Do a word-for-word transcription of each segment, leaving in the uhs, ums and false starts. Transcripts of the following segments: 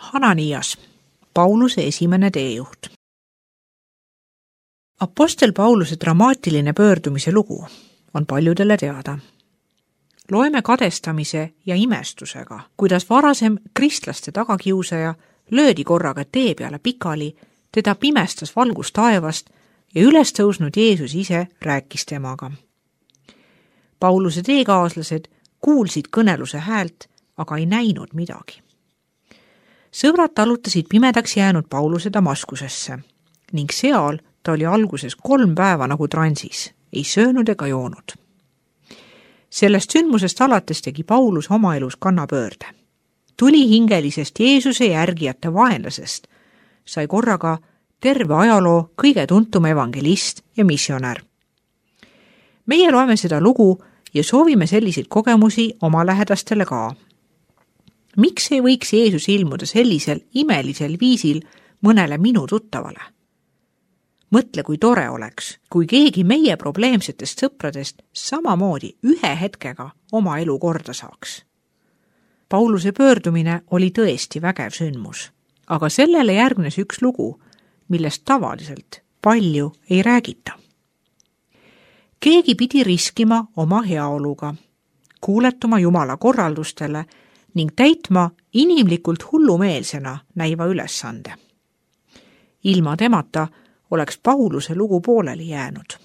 Hananias, Pauluse esimene teejuht. Apostel Pauluse dramaatiline pöördumise lugu on paljudele teada. Loeme kadestamise ja imestusega, kuidas varasem kristlaste tagakiusaja löödi korraga tee peale pikali, teda pimestas valgus taevast ja üles tõusnud Jeesus ise rääkis temaga. Pauluse teekaaslased kuulsid kõneluse häält, aga ei näinud midagi. Sõbrad talutasid pimedaks jäänud Pauluse Damaskusesse ning seal ta oli alguses kolm päeva nagu transis, ei söönud ega joonud. Sellest sündmusest alates tegi Paulus oma elus kannapöörde. Tuli hingelisest Jeesuse järgijate vaenlasest, sai korraga terve ajaloo kõige tuntum evangelist ja missionär. Meie loeme seda lugu ja soovime selliseid kogemusi oma lähedastele ka. Miks ei võiks Jeesus ilmuda sellisel imelisel viisil mõnele minu tuttavale? Mõtle, kui tore oleks, kui keegi meie probleemsetest sõpradest samamoodi ühe hetkega oma elu korda saaks. Pauluse pöördumine oli tõesti vägev sündmus, aga sellele järgnes üks lugu, millest tavaliselt palju ei räägita. Keegi pidi riskima oma heaoluga, kuuletuma Jumala korraldustele ning täitma inimlikult hullumeelsena näiva ülesande. Ilma temata oleks Pauluse lugu pooleli jäänud.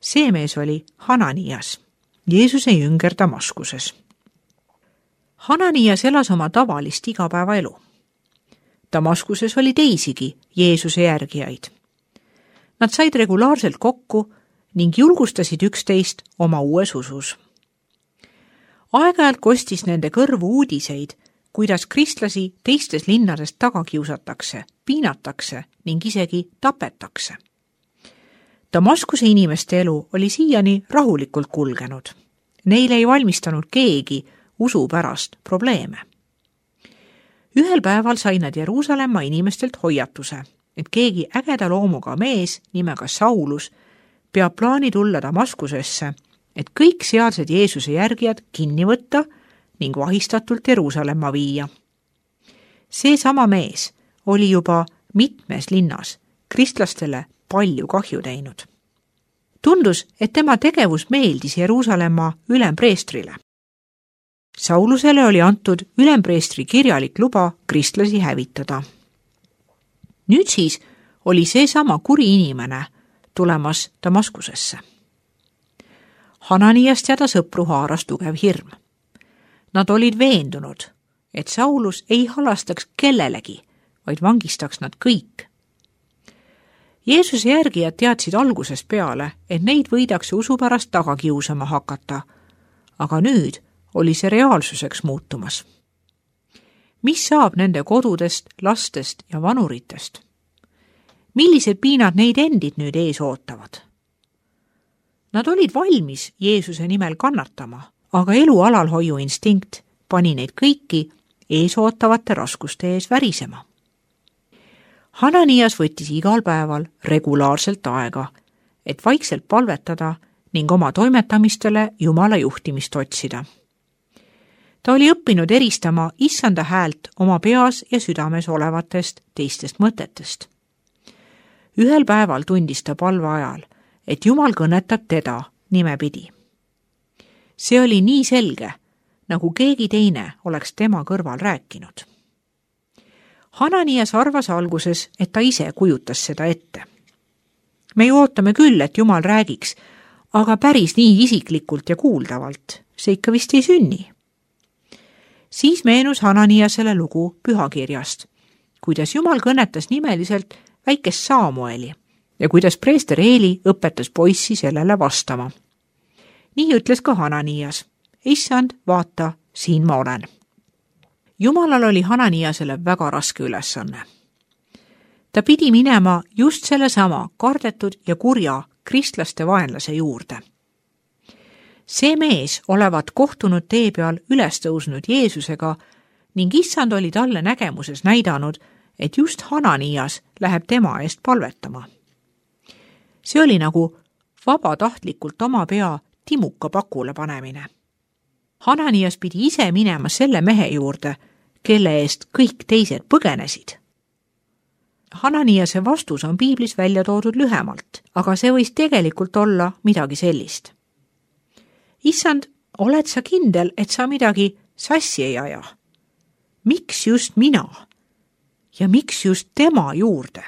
See mees oli Hananias, Jeesuse jünger Damaskuses. Hananias elas oma tavalist igapäevaelu. Damaskuses oli teisigi Jeesuse järgijaid. Nad said regulaarselt kokku ning julgustasid üksteist oma uues usus. Aeg-ajalt kostis nende kõrvu uudiseid, kuidas kristlasi teistes linnadest taga kiusatakse, piinatakse ning isegi tapetakse. Damaskuse inimeste elu oli siiani rahulikult kulgenud. Neile ei valmistanud keegi usu pärast probleeme. Ühel päeval sai nad Jeruusalemma inimestelt hoiatuse, et keegi ägeda loomuga mees nimega Saulus peab plaani tulla Damaskusesse, et kõik sealsed Jeesuse järgijad kinni võtta ning vahistatult Jeruusalemma viia. See sama mees oli juba mitmes linnas kristlastele palju kahju teinud. Tundus, et tema tegevus meeldis Jeruusalemma ülempreestrile. Saulusele oli antud ülempreestri kirjalik luba kristlasi hävitada. Nüüd siis oli see sama kuri inimene tulemas Damaskusesse. Hananiast ja ta sõpru haaras tugev hirm. Nad olid veendunud, et Saulus ei halastaks kellelegi, vaid vangistaks nad kõik. Jeesuse järgijad teadsid algusest peale, et neid võidakse usu pärast taga kiusama hakata, aga nüüd oli see reaalsuseks muutumas. Mis saab nende kodudest, lastest ja vanuritest? Millised piinad neid endid nüüd ees ootavad? Nad olid valmis Jeesuse nimel kannatama, aga elu alalhoiu instinkt pani neid kõiki ees ootavate raskuste ees värisema. Hananias võttis igal päeval regulaarselt aega, et vaikselt palvetada ning oma toimetamistele Jumala juhtimist otsida. Ta oli õppinud eristama issanda häält oma peas ja südames olevatest teistest mõtetest. Ühel päeval tundis ta palve ajal, et Jumal kõnetab teda nimepidi. See oli nii selge, nagu keegi teine oleks tema kõrval rääkinud. Hananias arvas alguses, et ta ise kujutas seda ette. Me ju ootame küll, et Jumal räägiks, aga päris nii isiklikult ja kuuldavalt see ikka vist ei sünni. Siis meenus Hananiasele lugu pühakirjast, kuidas Jumal kõnetas nimeliselt väikest Saamueli ja kuidas preester Eeli õpetas poissi sellele vastama. Nii ütles ka Hananias, issand, vaata, siin ma olen. Jumalal oli Hananiasele väga raske ülesanne. Ta pidi minema just sellesama kardetud ja kurja kristlaste vaenlase juurde. See mees olevat kohtunud tee peal üles tõusnud Jeesusega ning issand oli talle nägemuses näidanud, et just Hananias läheb tema eest palvetama. See oli nagu vabatahtlikult oma pea timuka pakule panemine. Hananias pidi ise minema selle mehe juurde, kelle eest kõik teised põgenesid? Hananiase vastus on piiblis välja toodud lühemalt, aga see võis tegelikult olla midagi sellist. Issand, oled sa kindel, et sa midagi sassi ei aja? Miks just mina? Ja miks just tema juurde?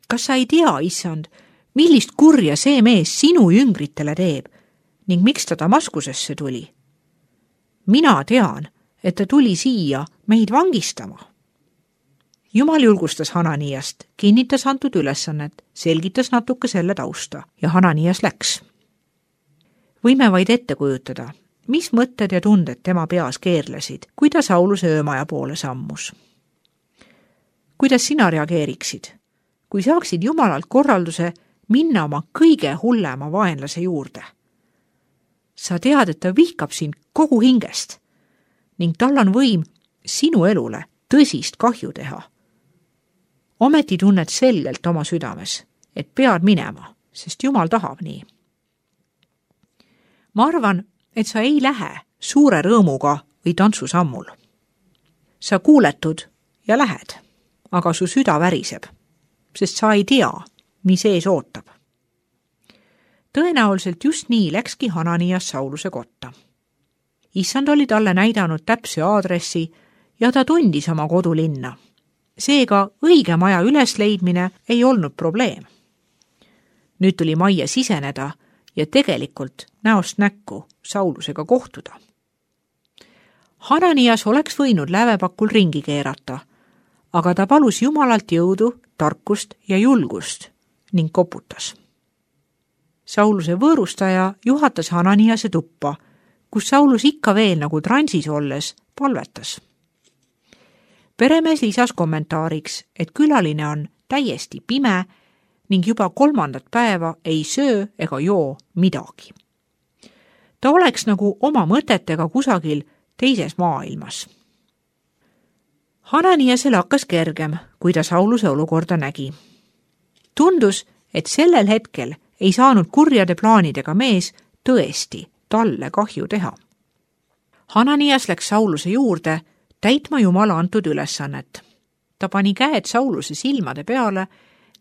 Kas sa ei tea, issand, millist kurja see mees sinu jüngritele teeb ning miks ta Damaskusesse tuli? Mina tean, et ta tuli siia meid vangistama. Jumal julgustas Hananiast, kinnitas antud ülesannet, selgitas natuke selle tausta ja Hananias läks. Võime vaid ette kujutada, mis mõtted ja tunded tema peas keerlesid, kui ta Sauluse öömaja poole sammus. Kuidas sina reageeriksid, kui saaksid Jumalalt korralduse minna oma kõige hullema vaenlase juurde? Sa tead, et ta vihkab sind kogu hingest ning tal on võim sinu elule tõsist kahju teha. Ometi tunned selgelt oma südames, et pead minema, sest Jumal tahab nii. Ma arvan, et sa ei lähe suure rõõmuga või tantsusammul. Sa kuuletud ja lähed, aga su süda väriseb, sest sa ei tea, mis ees ootab. Tõenäoliselt just nii läkski Hananias Sauluse kotta. Issand oli talle näidanud täpse aadressi ja ta tundis oma kodulinna. Seega õige maja ülesleidmine ei olnud probleem. Nüüd tuli majja siseneda ja tegelikult näost näkku Saulusega kohtuda. Hananias oleks võinud lävepakul ringi keerata, aga ta palus Jumalalt jõudu, tarkust ja julgust ning koputas. Sauluse võõrustaja juhatas Hananiase tuppa, kus Saulus ikka veel nagu transis olles palvetas. Peremees lisas kommentaariks, et külaline on täiesti pime ning juba kolmandat päeva ei söö ega joo midagi. Ta oleks nagu oma mõtetega kusagil teises maailmas. Hananiasel hakkas kergem, kui ta Sauluse olukorda nägi. Tundus, et sellel hetkel ei saanud kurjade plaanidega mees tõesti talle kahju teha. Hananias läks Sauluse juurde täitma Jumala antud ülesannet. Ta pani käed Sauluse silmade peale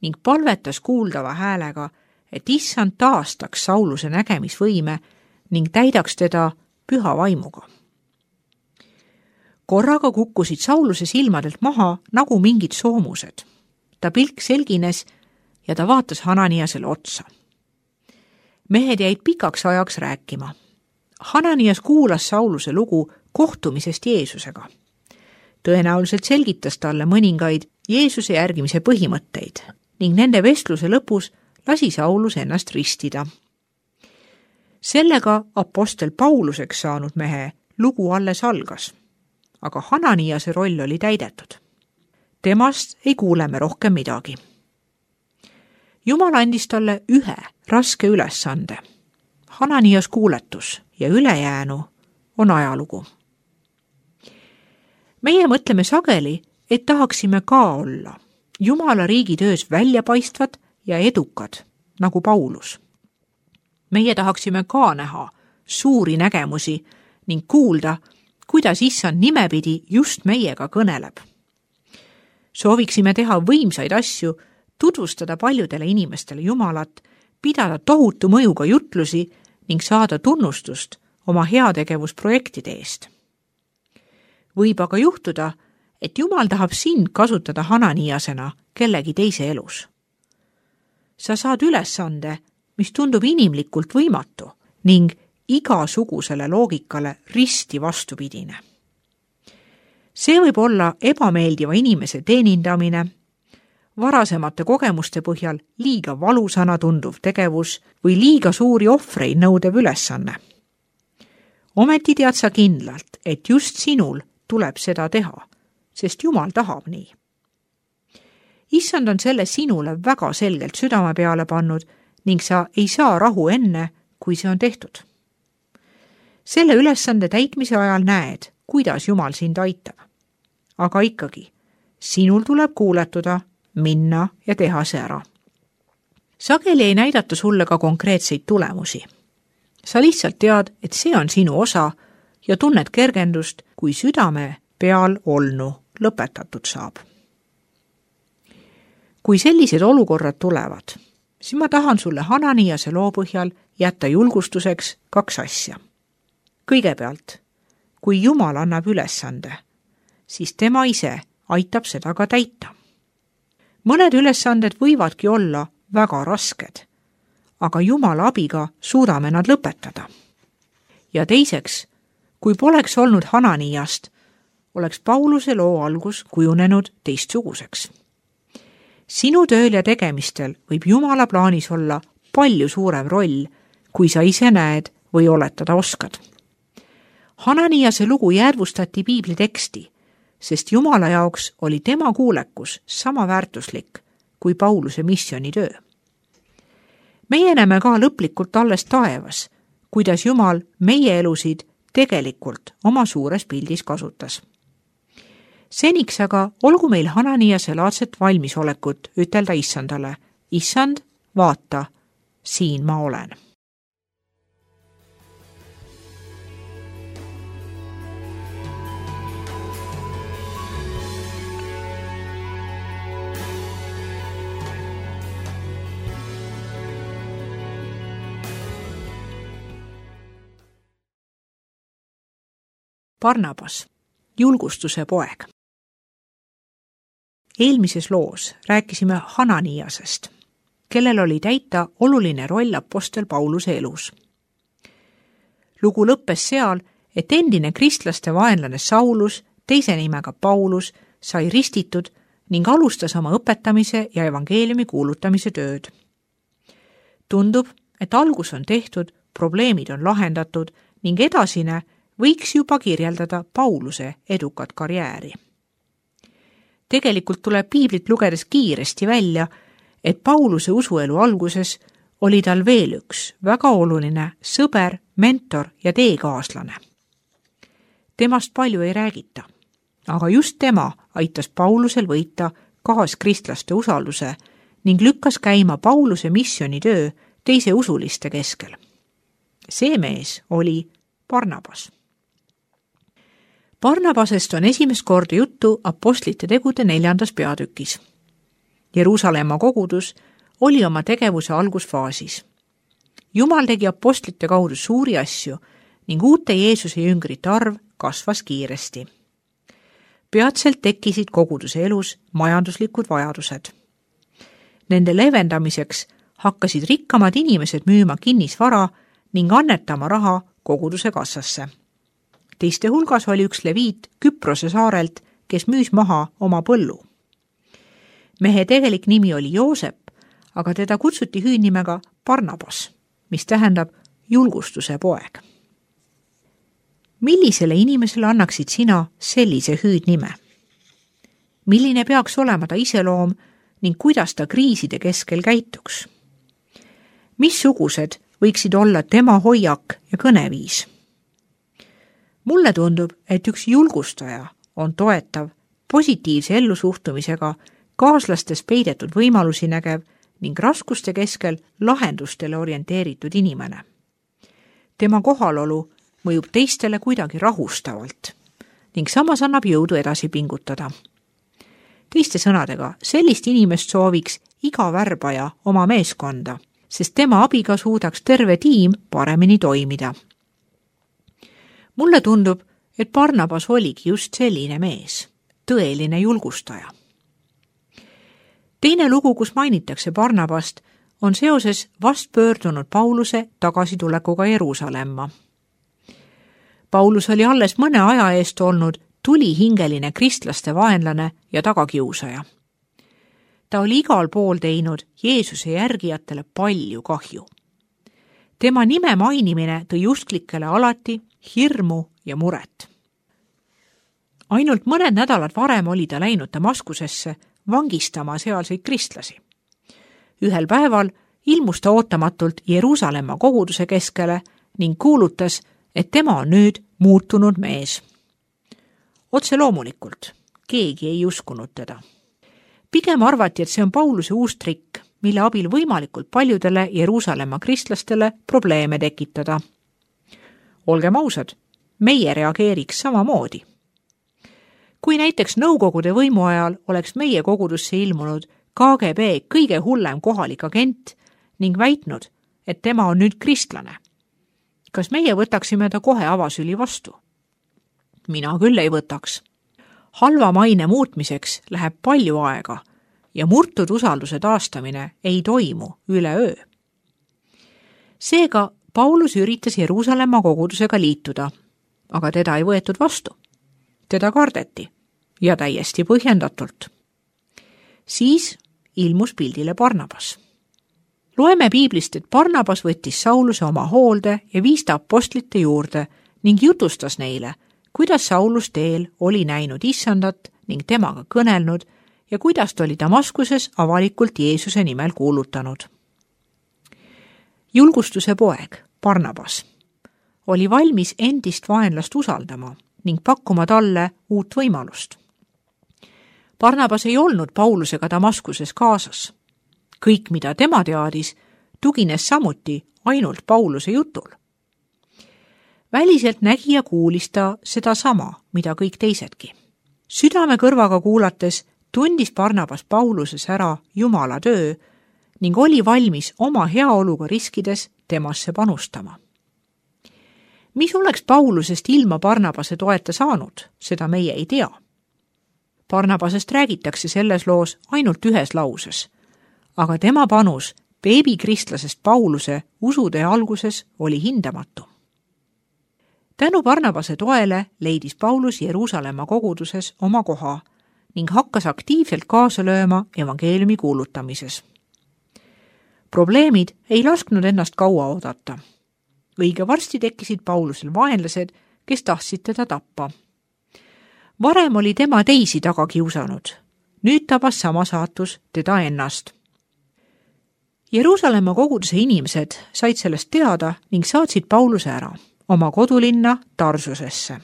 ning palvetas kuuldava häälega, et issand taastaks Sauluse nägemisvõime ning täidaks teda püha vaimuga. Korraga kukkusid Sauluse silmadelt maha nagu mingid soomused. Ta pilk selgines ja ta vaatas Hananiasele otsa. Mehed jäid pikaks ajaks rääkima. Hananias kuulas Sauluse lugu kohtumisest Jeesusega. Tõenäoliselt selgitas talle mõningaid Jeesuse järgimise põhimõtteid ning nende vestluse lõpus lasi Saulus ennast ristida. Sellega apostel Pauluseks saanud mehe lugu alles algas, aga Hananiase roll oli täidetud. Temast ei kuule me rohkem midagi. Jumal andis talle ühe raske ülesande. Hananias kuuletus ja ülejäänu on ajalugu. Meie mõtleme sageli, et tahaksime ka olla Jumala riigi töös väljapaistvad ja edukad, nagu Paulus. Meie tahaksime ka näha suuri nägemusi ning kuulda, kuidas issand nimepidi just meiega kõneleb. Sooviksime teha võimsaid asju, tutvustada paljudele inimestele Jumalat, pidada tohutu mõjuga jutlusi ning saada tunnustust oma heategevusprojektide eest. Võib aga juhtuda, et Jumal tahab sind kasutada Hananiasena kellegi teise elus. Sa saad ülesande, mis tundub inimlikult võimatu ning igasugusele loogikale risti vastupidine. See võib olla ebameeldiva inimese teenindamine, varasemate kogemuste põhjal liiga valusana tunduv tegevus või liiga suuri ohvreid nõudev ülesanne. Ometi tead sa kindlalt, et just sinul tuleb seda teha, sest Jumal tahab nii. Issand on selle sinule väga selgelt südame peale pannud ning sa ei saa rahu enne, kui see on tehtud. Selle ülesande täitmise ajal näed, kuidas Jumal sind aitab. Aga ikkagi, sinul tuleb kuuletuda, minna ja teha see ära. Sageli ei näidata sulle ka konkreetseid tulemusi. Sa lihtsalt tead, et see on sinu osa ja tunned kergendust, kui südame peal olnu lõpetatud saab. Kui sellised olukorrad tulevad, siis ma tahan sulle Hananiase loo põhjal jätta julgustuseks kaks asja. Kõigepealt, kui Jumal annab ülesande, siis tema ise aitab seda ka täita. Mõned ülesanded võivadki olla väga rasked, aga Jumala abiga suudame nad lõpetada. Ja teiseks, kui poleks olnud Hananiast, oleks Pauluse loo algus kujunenud teistsuguseks. Sinu tööl ja tegemistel võib Jumala plaanis olla palju suurem roll, kui sa ise näed või oletada oskad. Hananiase lugu jäädvustati piibli teksti, sest Jumala jaoks oli tema kuulekus sama väärtuslik kui Pauluse missionitöö. Meie näeme ka lõplikult alles taevas, kuidas Jumal meie elusid tegelikult oma suures pildis kasutas. Seniks aga olgu meil Hananiase laadset valmisolekut ütelda issandale, issand, vaata, siin ma olen. Barnabas, julgustuse poeg. Eelmises loos rääkisime Hananiasest, kellel oli täita oluline roll apostel Pauluse elus. Lugu lõppes seal, et endine kristlaste vaenlane Saulus, teise nimega Paulus, sai ristitud ning alustas oma õpetamise ja evangeeliumi kuulutamise tööd. Tundub, et algus on tehtud, probleemid on lahendatud ning edasine võiks juba kirjeldada Pauluse edukat karjääri. Tegelikult tuleb piiblit lugedes kiiresti välja, et Pauluse usuelu alguses oli tal veel üks väga oluline sõber, mentor ja teekaaslane. Temast palju ei räägita, aga just tema aitas Paulusel võita kaaskristlaste usalduse ning lükkas käima Pauluse missionitöö teise usuliste keskel. See mees oli Barnabas. Barnabasest on esimest korda juttu apostlite tegude neljandas peatükis. Jeruusalemma kogudus oli oma tegevuse algusfaasis. Jumal tegi apostlite kaudu suuri asju ning uute Jeesuse jüngrite arv kasvas kiiresti. Peatselt tekkisid koguduse elus majanduslikud vajadused. Nende leevendamiseks hakkasid rikkamad inimesed müüma kinnisvara ning annetama raha koguduse kassasse. Teiste hulgas oli üks leviit Küprose saarelt, kes müüs maha oma põllu. Mehe tegelik nimi oli Joosep, aga teda kutsuti hüüdnimega Barnabas, mis tähendab julgustuse poeg. Millisele inimesele annaksid sina sellise hüüdnime? Milline peaks olema ta iseloom ning kuidas ta kriiside keskel käituks? Missugused võiksid olla tema hoiak ja kõneviis? Mulle tundub, et üks julgustaja on toetav, positiivse ellusuhtumisega, kaaslastes peidetud võimalusi nägev ning raskuste keskel lahendustele orienteeritud inimene. Tema kohalolu mõjub teistele kuidagi rahustavalt ning samas annab jõudu edasi pingutada. Teiste sõnadega, sellist inimest sooviks iga värbaja oma meeskonda, sest tema abiga suudaks terve tiim paremini toimida. Mulle tundub, et Barnabas oligi just selline mees, tõeline julgustaja. Teine lugu, kus mainitakse Barnabast, on seoses vast pöördunud Pauluse tagasitulekuga Jeruusalemma. Paulus oli alles mõne aja eest olnud tulihingeline kristlaste vaenlane ja tagakiusaja. Ta oli igal pool teinud Jeesuse järgijatele palju kahju. Tema nime mainimine tõi usklikele alati hirmu ja muret. Ainult mõned nädalad varem oli ta läinud Damaskusesse vangistama sealseid kristlasi. Ühel päeval ilmus ta ootamatult Jeruusalemma koguduse keskele ning kuulutas, et tema on nüüd muutunud mees. Otse loomulikult, keegi ei uskunud teda. Pigem arvati, et see on Pauluse uus trikk, mille abil võimalikult paljudele Jeruusalemma kristlastele probleeme tekitada. Olgem ausad, meie reageeriks samamoodi. kui näiteks Nõukogude võimu ajal oleks meie kogudusse ilmunud K G B kõige hullem kohalik agent ning väitnud, et tema on nüüd kristlane, kas meie võtaksime ta kohe avasüli vastu? Mina küll ei võtaks. Halva maine muutmiseks läheb palju aega ja murtud usalduse taastamine ei toimu üleöö. Seega Paulus üritas Jeruusalemma kogudusega liituda, aga teda ei võetud vastu. Teda kardeti ja täiesti põhjendatult. Siis ilmus pildile Barnabas. Loeme piiblist, et Barnabas võttis Sauluse oma hoolde ja viis ta apostlite juurde ning jutustas neile, kuidas Saulus teel oli näinud issandat ning temaga kõnelnud ja kuidas ta oli Damaskuses avalikult Jeesuse nimel kuulutanud. Julgustuse poeg, Barnabas, oli valmis endist vaenlast usaldama ning pakkuma talle uut võimalust. Barnabas ei olnud Paulusega Damaskuses kaasas. Kõik, mida tema teadis, tugines samuti ainult Pauluse jutul. Väliselt nägi ja kuulis ta seda sama, mida kõik teisedki. Südame kõrvaga kuulates tundis Barnabas Pauluses ära Jumala töö ning oli valmis oma heaoluga riskides temasse panustama. Mis oleks Paulusest ilma Barnabase toeta saanud, seda meie ei tea. Barnabasest räägitakse selles loos ainult ühes lauses, aga tema panus beebikristlasest Pauluse usutee alguses oli hindamatu. Tänu Barnabase toele leidis Paulus Jeruusalemma koguduses oma koha ning hakkas aktiivselt kaasa lööma evangeeliumi kuulutamises. Probleemid ei lasknud ennast kaua oodata. Õige varsti tekkisid Paulusel vaenlased, kes tahtsid teda tappa. Varem oli tema teisi taga kiusanud. Nüüd tabas sama saatus teda ennast. Jeruusalemma koguduse inimesed said sellest teada ning saatsid Pauluse ära oma kodulinna Tarsusesse.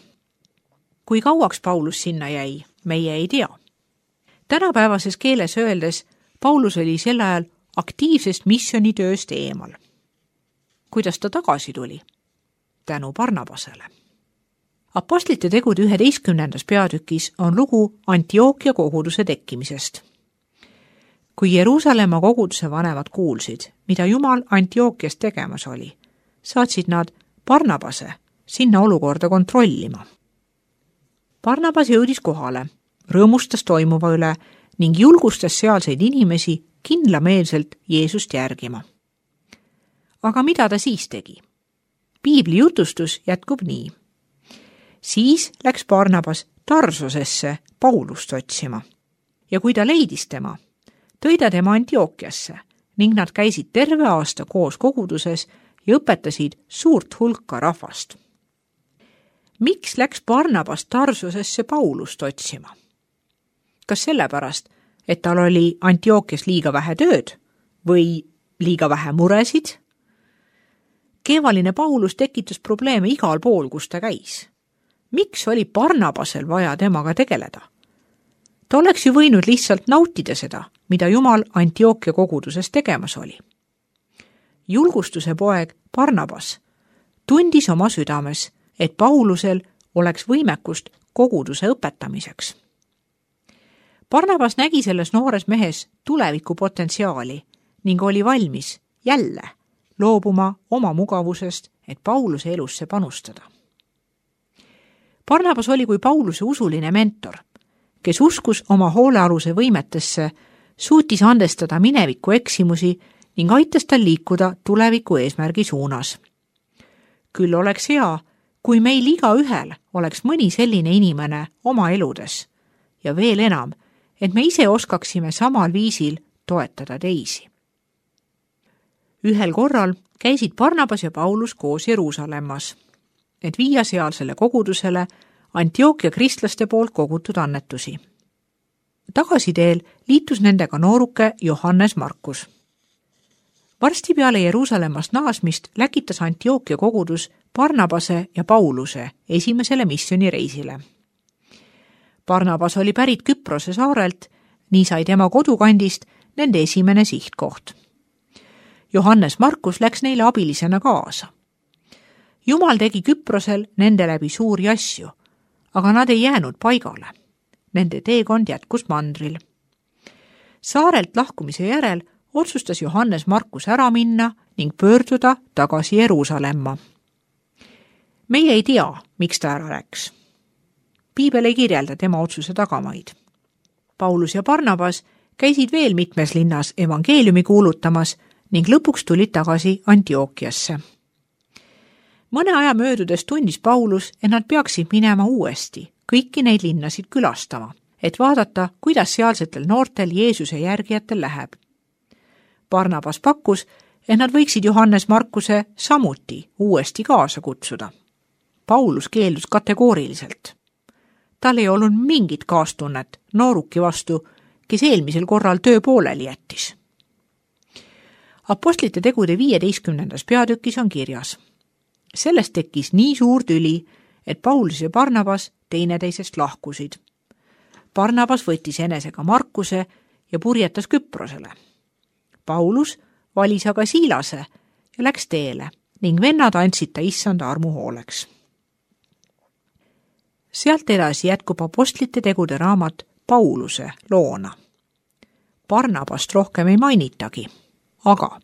Kui kauaks Paulus sinna jäi, meie ei tea. Tänapäevases keeles öeldes Paulus oli sel ajal aktiivsest missionitööst eemal. Kuidas ta tagasi tuli? Tänu Barnabasele. Apostlite tegude üheteistkümnendas peatükis on lugu Antiookia koguduse tekkimisest. Kui Jeruusalemma koguduse vanemad kuulsid, mida Jumal Antiookias tegemas oli, saatsid nad Barnabase sinna olukorda kontrollima. Barnabas jõudis kohale, rõõmustas toimuva üle ning julgustas sealseid inimesi kindlameelselt Jeesust järgima. Aga mida ta siis tegi? Piibli jutustus jätkub nii. Siis läks Barnabas Tarsosesse Paulust otsima ja kui ta leidis tema, tõi ta tema Antiookiasse ning nad käisid terve aasta koos koguduses ja õpetasid suurt hulka rahvast. Miks läks Barnabas Tarsosesse Paulust otsima? Kas sellepärast, et tal oli Antiookias liiga vähe tööd või liiga vähe muresid? Keevaline Paulus tekitas probleeme igal pool, kus ta käis. Miks oli Barnabasel vaja temaga tegeleda? Ta oleks ju võinud lihtsalt nautida seda, mida Jumal Antiookia koguduses tegemas oli. Julgustuse poeg Barnabas tundis oma südames, et Paulusel oleks võimekust koguduse õpetamiseks. Barnabas nägi selles noores mehes tuleviku potentsiaali ning oli valmis jälle loobuma oma mugavusest, et Pauluse elusse panustada. Barnabas oli kui Pauluse usuline mentor, kes uskus oma hoolealuse võimetesse, suutis andestada mineviku eksimusi ning aitas tal liikuda tuleviku eesmärgi suunas. Küll oleks hea, kui meil iga ühel oleks mõni selline inimene oma eludes ja veel enam, et me ise oskaksime samal viisil toetada teisi. Ühel korral käisid Barnabas ja Paulus koos Jeruusalemmas, et viia sealsele kogudusele Antiookia kristlaste poolt kogutud annetusi. Tagasiteel liitus nendega nooruke Johannes Markus. Varsti peale Jeruusalemmast naasmist läkitas Antiookia kogudus Barnabase ja Pauluse esimesele missionireisile. Barnabas oli pärit Küprose saarelt, nii sai tema kodukandist nende esimene sihtkoht. Johannes Markus läks neile abilisena kaasa. Jumal tegi Küprosel nende läbi suuri asju, aga nad ei jäänud paigale. nende teekond jätkus mandril. Saarelt lahkumise järel otsustas Johannes Markus ära minna ning pöörduda tagasi Jeruusalemma. Meie ei tea, miks ta ära läks. Piibel ei kirjelda tema otsuse tagamaid. Paulus ja Barnabas käisid veel mitmes linnas evangeeliumi kuulutamas ning lõpuks tulid tagasi Antiookiasse. Mõne aja möödudes tundis Paulus, et nad peaksid minema uuesti kõiki neid linnasid külastama, et vaadata, kuidas sealsetel noortel Jeesuse järgijatel läheb. Barnabas pakkus, et nad võiksid Johannes Markuse samuti uuesti kaasa kutsuda. Paulus keeldus kategooriliselt. Tal ei olnud mingit kaastunnet nooruki vastu, kes eelmisel korral töö pooleli jättis. Apostlite tegude viieteistkümnendas peatükis on kirjas. Sellest tekkis nii suur tüli, et Paulus ja Barnabas teineteisest lahkusid. Barnabas võttis enesega Markuse ja purjetas Küprosele. Paulus valis aga Siilase ja läks teele ning vennad andsid ta issanda armu hooleks. Sealt edasi jätkub apostlite tegude raamat Pauluse loona. Barnabast rohkem ei mainitagi, aga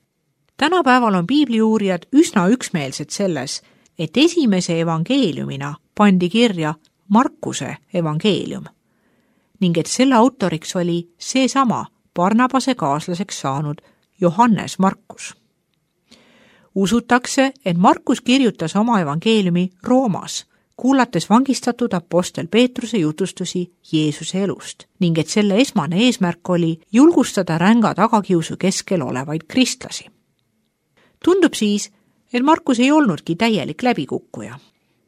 tänapäeval on piibliuurijad üsna üksmeelsed selles, et esimese evangeeliumina pandi kirja Markuse evangeelium ning et selle autoriks oli seesama Barnabase kaaslaseks saanud Johannes Markus. Usutakse, et Markus kirjutas oma evangeeliumi Roomas, kuulates vangistatud apostel Peetruse jutustusi Jeesuse elust ning et selle esmane eesmärk oli julgustada ränga tagakiusu keskel olevaid kristlasi. Tundub siis, et Markus ei olnudki täielik läbikukkuja.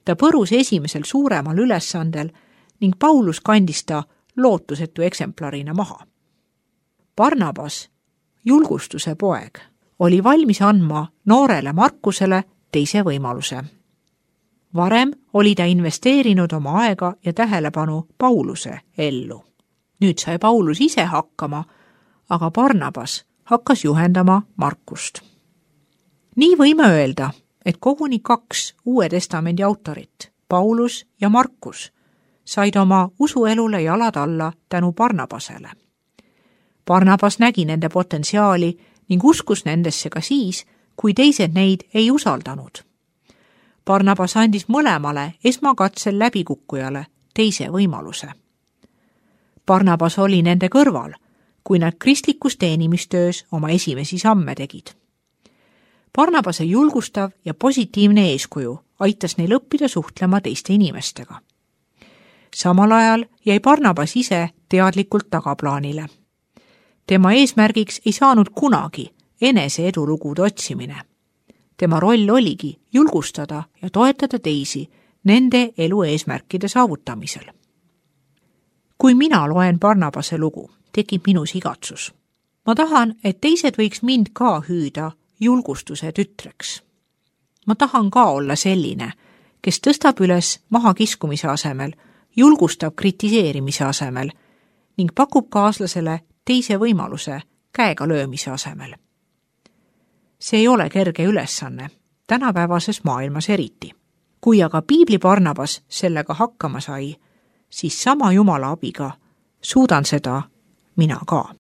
Ta põrus esimesel suuremal ülesandel ning Paulus kandis ta lootusetu eksemplarina maha. Barnabas, julgustuse poeg, oli valmis andma noorele Markusele teise võimaluse. Varem oli ta investeerinud oma aega ja tähelepanu Pauluse ellu. Nüüd sai Paulus ise hakkama, aga Barnabas hakkas juhendama Markust. Nii võime öelda, et koguni kaks Uue Testamendi autorit, Paulus ja Markus, said oma usuelule jalad alla tänu Barnabasele. Barnabas nägi nende potentsiaali ning uskus nendesse ka siis, kui teised neid ei usaldanud. Barnabas andis mõlemale esmakatsel läbikukkujale teise võimaluse. Barnabas oli nende kõrval, kui nad kristlikus teenimistöös oma esimesi samme tegid. Barnabase julgustav ja positiivne eeskuju aitas neil õppida suhtlema teiste inimestega. Samal ajal jäi Barnabas ise teadlikult tagaplaanile. Tema eesmärgiks ei saanud kunagi enese edulugude otsimine. Tema roll oligi julgustada ja toetada teisi nende elu eesmärkide saavutamisel. Kui mina loen Barnabase lugu, tekib minus igatsus. Ma tahan, et teised võiks mind ka hüüda julgustuse tütreks. Ma tahan ka olla selline, kes tõstab üles mahakiskumise asemel, julgustab kritiseerimise asemel ning pakub kaaslasele teise võimaluse käega löömise asemel. See ei ole kerge ülesanne, tänapäevases maailmas eriti. Kui aga piibli Barnabas sellega hakkama sai, siis sama Jumala abiga suudan seda mina ka.